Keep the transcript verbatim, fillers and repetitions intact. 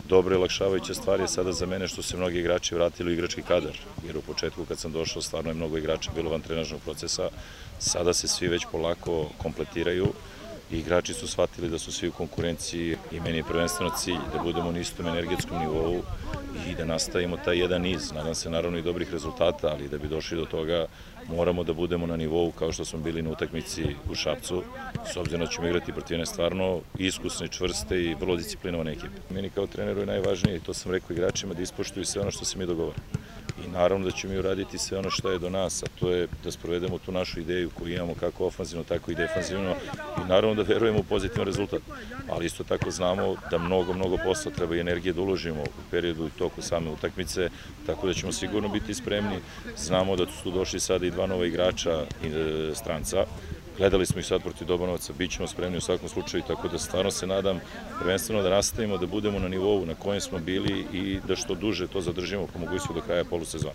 dobra i olakšavajuća stvar je sada za mene što se mnogi igrači vratili u igrački kadar, jer u početku kad sam došao stvarno je mnogo igrača bilo van trenažnog procesa, sada se svi već polako kompletiraju i igrači su shvatili da su svi u konkurenciji i meni je prvenstveno cilj da budemo na istom energetskom nivou i da nastavimo taj jedan niz. Nadam se naravno i dobrih rezultata, ali da bi došli do toga moramo da budemo na nivou kao što smo bili na utakmici u Šapcu, s obzirom da ćemo igrati protiv jedne stvarno iskusne, čvrste i vrlo disciplinovane ekipe. Meni kao treneru je najvažnije, i to sam rekao igračima, da ispoštuju sve ono što se mi dogovorimo. I naravno da ćemo i uraditi sve ono što je do nas, a to je da sprovedemo tu našu ideju koju imamo kako ofanzivno, tako i defanzivno i naravno da verujemo u pozitivan rezultat. Ali isto tako znamo da mnogo, mnogo posla treba i energije da uložimo u periodu i toku same utakmice, tako da ćemo sigurno biti spremni. Znamo da su tu došli sada i dva nova igrača stranca. Gledali smo ih sad protiv Dobanovaca, bit ćemo spremni u svakom slučaju, tako da stvarno se nadam prvenstveno da nastavimo, da budemo na nivou na kojem smo bili i da što duže to zadržimo po mogućstvu do kraja polusezona.